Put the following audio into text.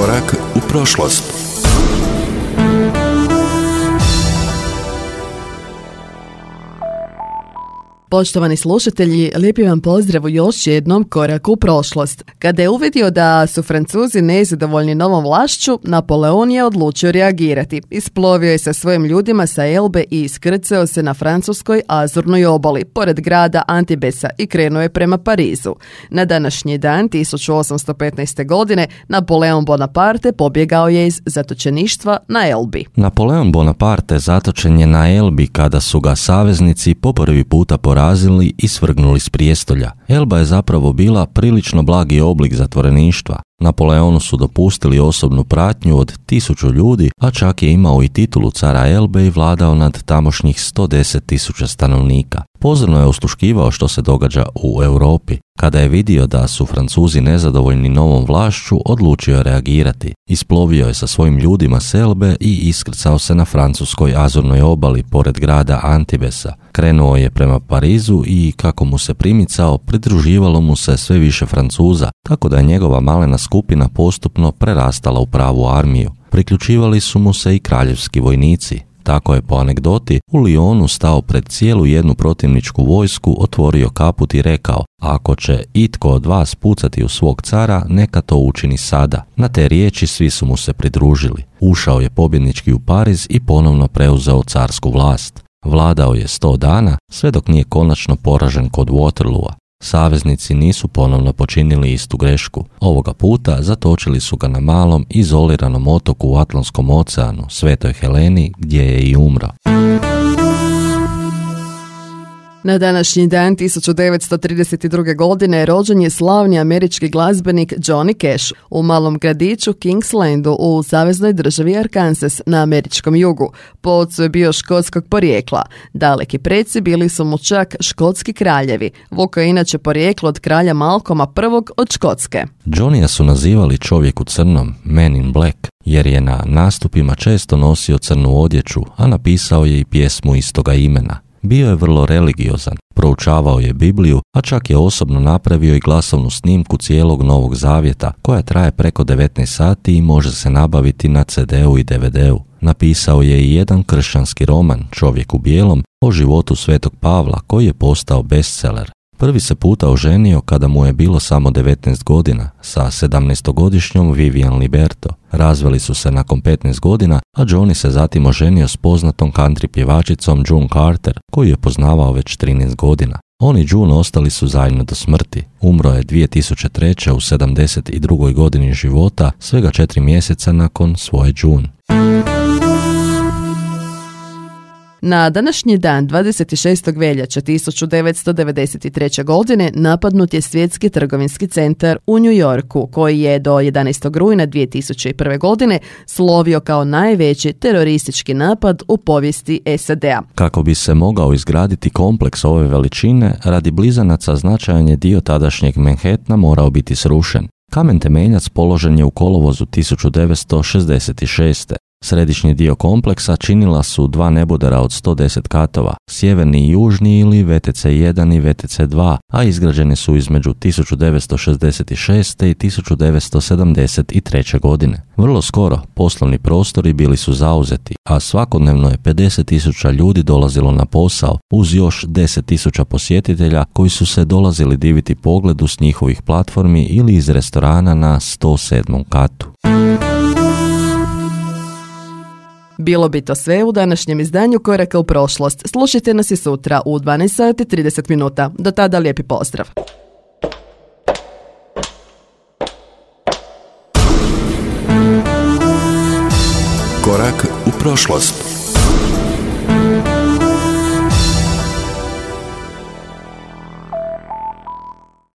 Korak u prošlost. Poštovani slušatelji, lijepi vam pozdrav u još jednom koraku u prošlost. Kada je uvidio da su Francuzi nezadovoljni novom vlašću, Napoleon je odlučio reagirati. Isplovio je sa svojim ljudima sa Elbe i iskrcao se na francuskoj Azurnoj obali, pored grada Antibesa, i krenuo je prema Parizu. Na današnji dan, 1815. godine, Napoleon Bonaparte pobjegao je iz zatočeništva na Elbi. Napoleon Bonaparte zatočen je na Elbi kada su ga saveznici po prvi puta porazili i svrgnuli s prijestolja. Elba je zapravo bila prilično blagi oblik zatvoreništva. Napoleonu su dopustili osobnu pratnju od 1000 ljudi, a čak je imao i titulu cara Elbe i vladao nad tamošnjih 110.000 stanovnika. Pozorno je osluškivao što se događa u Europi. Kada je vidio da su Francuzi nezadovoljni novom vlašću, odlučio je reagirati. Isplovio je sa svojim ljudima s Elbe i iskrcao se na francuskoj Azurnoj obali pored grada Antibesa. Krenuo je prema Parizu i, kako mu se primicao, pridruživalo mu se sve više Francuza, tako da je njegova malena skupina postupno prerastala u pravu armiju. Priključivali su mu se i kraljevski vojnici. Tako je po anegdoti u Lyonu stao pred cijelu jednu protivničku vojsku, otvorio kaput i rekao: "Ako će itko od vas pucati u svog cara, neka to učini sada." Na te riječi svi su mu se pridružili. Ušao je pobjednički u Pariz i ponovno preuzeo carsku vlast. Vladao je 100 dana, sve dok nije konačno poražen kod Waterloova. Saveznici nisu ponovno počinili istu grešku. Ovoga puta zatočili su ga na malom, izoliranom otoku u Atlantskom oceanu, Svetoj Heleni, gdje je i umro. Na današnji dan 1932. godine rođen je slavni američki glazbenik Johnny Cash u malom gradiću Kingslandu u saveznoj državi Arkansas na američkom jugu. Po ocu je bio škotskog porijekla. Daleki preci bili su mu čak škotski kraljevi. Vukao je inače porijeklo od kralja Malcolma I od Škotske. Johnnya su nazivali čovjek u crnom, Man in Black, jer je na nastupima često nosio crnu odjeću, a napisao je i pjesmu istoga imena. Bio je vrlo religiozan, proučavao je Bibliju, a čak je osobno napravio i glasovnu snimku cijelog Novog Zavjeta, koja traje preko 19 sati i može se nabaviti na CD-u i DVD-u. Napisao je i jedan kršćanski roman, Čovjek u bijelom, o životu Svetog Pavla, koji je postao bestseller. Prvi se puta oženio kada mu je bilo samo 19 godina, sa 17-godišnjom Vivian Liberto. Razveli su se nakon 15 godina, a Johnny se zatim oženio s poznatom country pjevačicom June Carter, koju je poznavao već 13 godina. On i June ostali su zajedno do smrti. Umro je 2003. u 72. godini života, svega 4 mjeseca nakon svoje June. Na današnji dan, 26. veljače 1993. godine, napadnut je Svjetski trgovinski centar u New Yorku, koji je do 11. rujna 2001. godine slovio kao najveći teroristički napad u povijesti SAD-a. Kako bi se mogao izgraditi kompleks ove veličine, radi blizanaca značajan je dio tadašnjeg Manhattana morao biti srušen. Kamen temeljac položen je u kolovozu 1966. Središnji dio kompleksa činila su 2 nebodera od 110 katova, sjeverni i južni ili VTC-1 i VTC-2, a izgrađeni su između 1966. i 1973. godine. Vrlo skoro poslovni prostori bili su zauzeti, a svakodnevno je 50.000 ljudi dolazilo na posao, uz još 10.000 posjetitelja koji su se dolazili diviti pogledu s njihovih platformi ili iz restorana na 107. katu. Bilo bi to sve u današnjem izdanju Koraka u prošlost. Slušajte nas i sutra u 12:30. Do tada lijepi pozdrav. Korak u prošlost.